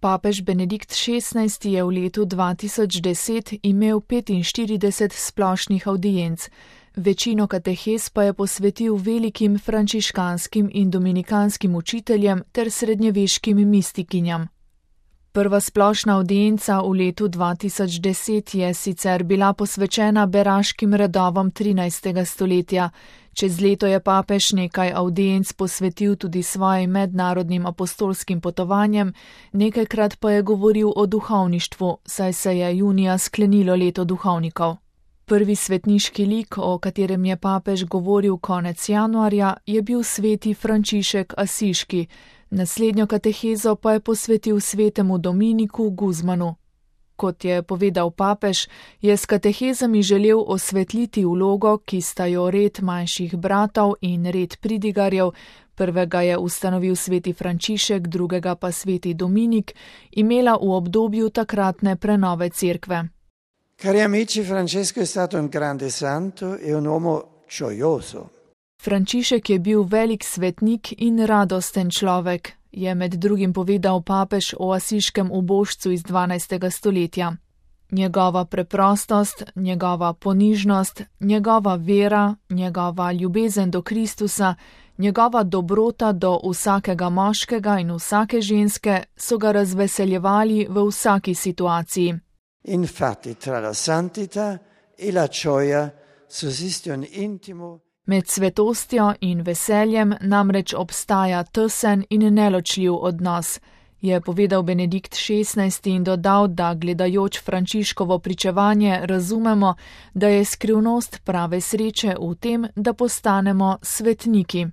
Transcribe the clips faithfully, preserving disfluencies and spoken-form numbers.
Papež Benedikt šestnajsti je v letu dva tisoč deset imel petinštirideset splošnih avdienc, večino katehez pa je posvetil velikim frančiškanskim in dominikanskim učiteljem ter srednjeveškim mistikinjam. Prva splošna avdienca v letu dva tisoč deset je sicer bila posvečena beraškim redovom trinajstega stoletja, čez leto je papež nekaj avdienc posvetil tudi svojim mednarodnim apostolskim potovanjem, nekajkrat pa je govoril o duhovništvu, saj se je junija sklenilo leto duhovnikov. Prvi svetniški lik, o katerem je papež govoril konec januarja, je bil sveti Frančišek Asiški, naslednjo katehezo pa je posvetil svetemu Dominiku Guzmanu. Kot je povedal papež, je s katehezami želel osvetliti vlogo, ki sta jo red manjših bratov in red pridigarjev, prvega je ustanovil sveti Frančišek, drugega pa sveti Dominik, imela v obdobju takratne prenove cerkve. Cari amici, Francesco è stato un grande santo e un uomo gioioso. Frančišek je bil velik svetnik in radosten človek, je med drugim povedal papež o asiškem ubožcu iz dvanajstega stoletja. Njegova preprostost, njegova ponižnost, njegova vera, njegova ljubezen do Kristusa, njegova dobrota do vsakega moškega in vsake ženske so ga razveseljevali v vsaki situaciji. Infatti tra la santità e la gioia sussiste un intimo. Med svetostjo in veseljem namreč obstaja tesen in neločljiv odnos, je povedal Benedikt šestnajsti in dodal, da gledajoč Frančiškovo pričevanje razumemo, da je skrivnost prave sreče v tem, da postanemo svetniki.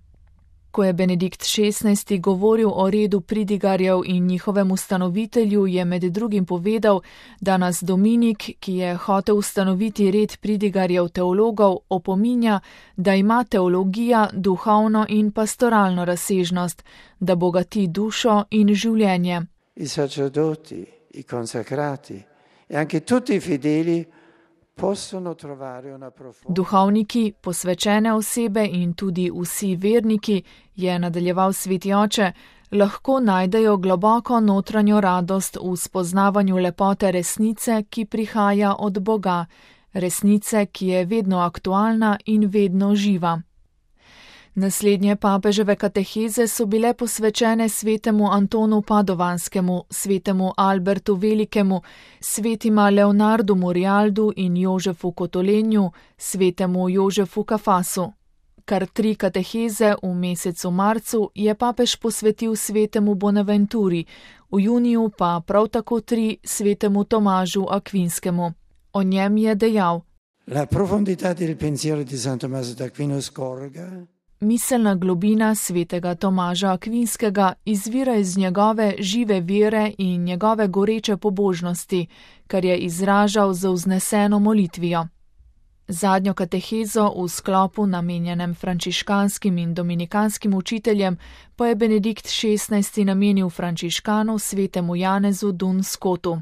Ko je Benedikt šestnajsti govoril o redu pridigarjev in njihovem ustanovitelju, je med drugim povedal, da nas Dominik, ki je hotel ustanoviti red pridigarjev teologov, opominja, da ima teologija duhovno in pastoralno razsežnost, da bogati dušo in življenje. I sacerdoti, i consacrati e anche tutti i fedeli Duhovniki, posvečene osebe in tudi vsi verniki, je nadaljeval sveti oče, lahko najdejo globoko notranjo radost v spoznavanju lepote resnice, ki prihaja od Boga, resnice, ki je vedno aktualna in vedno živa. Naslednje papeževe kateheze so bile posvečene svetemu Antonu Padovanskemu, svetemu Albertu Velikemu, svetima Leonardu Morialdu in Jožefu Kotolenju, svetemu Jožefu Kafasu. Kar tri kateheze v mesecu marcu je papež posvetil svetemu Bonaventuri, v juniju pa prav tako tri svetemu Tomažu Akvinskemu. O njem je dejal: La profondità del pensiero di San Tommaso d'Aquino scorga. Miselna globina svetega Tomaža Akvinskega izvira iz njegove žive vere in njegove goreče pobožnosti, kar je izražal z vzneseno molitvijo. Zadnjo katehezo v sklopu namenjenem frančiškanskim in dominikanskim učiteljem pa je Benedikt šestnajsti namenil frančiškanu svetemu Janezu Dun Scotu.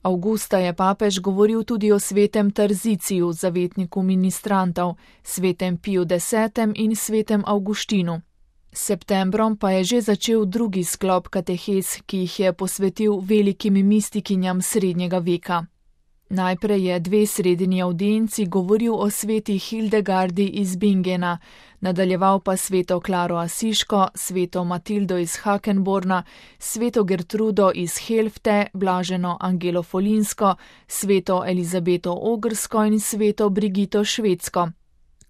Avgusta je papež govoril tudi o svetem Tarziciju, zavetniku ministrantov, svetem Piju desetem in svetem Avguštinu. Septembrom pa je že začel drugi sklop katehez, ki jih je posvetil velikim mistikinjam srednjega veka. Najprej je dve sredini avdienci govoril o sveti Hildegardi iz Bingena, nadaljeval pa sveto Klaro Asiško, sveto Matildo iz Hakenborna, sveto Gertrudo iz Helfte, blaženo Angelo Folinsko, sveto Elizabeto Ogrsko in sveto Brigito Švedsko.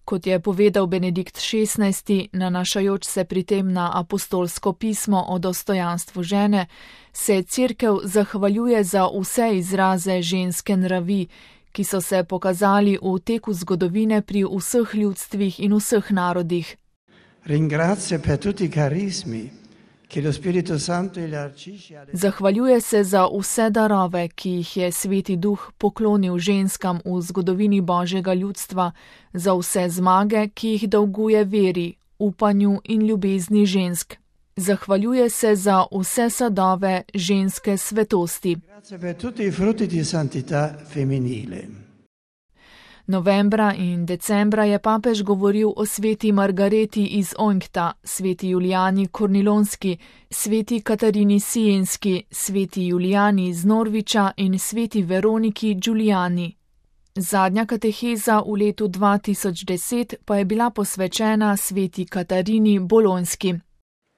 Kot je povedal Benedikt šestnajsti, nanašajoč se pri tem na apostolsko pismo o dostojanstvu žene, se cerkev zahvaljuje za vse izraze ženske nravi, ki so se pokazali v teku zgodovine pri vseh ljudstvih in vseh narodih. Ringrazia per tutti i carismi. Zahvaljuje se za vse darove, ki jih je Sveti Duh poklonil ženskam v zgodovini Božjega ljudstva, za vse zmage, ki jih dolguje veri, upanju in ljubezni žensk. Zahvaljuje se za vse sadove ženske svetosti. Novembra in decembra je papež govoril o sveti Margareti iz Onkta, sveti Julijani Kornilonski, sveti Katarini Sienski, sveti Julijani iz Norviča in sveti Veroniki Giuliani. Zadnja kateheza v letu dva tisoč deset pa je bila posvečena sveti Katarini Bolonski.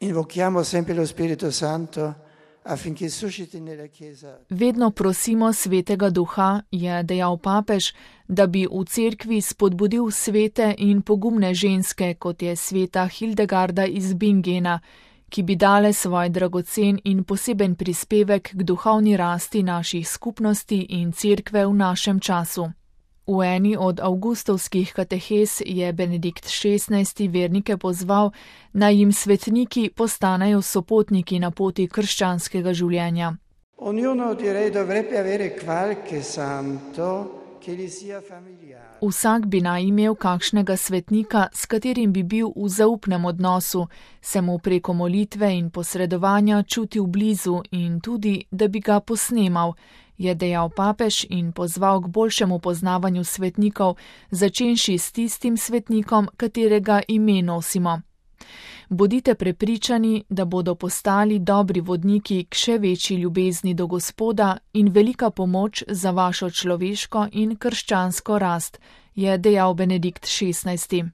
Invochiamo sempre lo Spirito Santo affinché susciti nella Chiesa. Vedno prosimo svetega duha, je dejal papež, da bi v cerkvi spodbudil svete in pogumne ženske, kot je sveta Hildegarda iz Bingena, ki bi dale svoj dragocen in poseben prispevek k duhovni rasti naših skupnosti in cerkve v našem času. V eni od avgustovskih katehez je Benedikt šestnajsti vernike pozval, naj jim svetniki postanejo sopotniki na poti krščanskega življenja. Ognuno direi dovrebbe avere qualche santo che gli sia familiare. Vsak bi naj imel kakšnega svetnika, s katerim bi bil v zaupnem odnosu, se mu preko molitve in posredovanja čutil blizu in tudi, da bi ga posnemal, je dejal papež in pozval k boljšemu poznavanju svetnikov, začenši s tistim svetnikom, katerega ime nosimo. Bodite prepričani, da bodo postali dobri vodniki k še večji ljubezni do Gospoda in velika pomoč za vašo človeško in krščansko rast, je dejal Benedikt šestnajsti.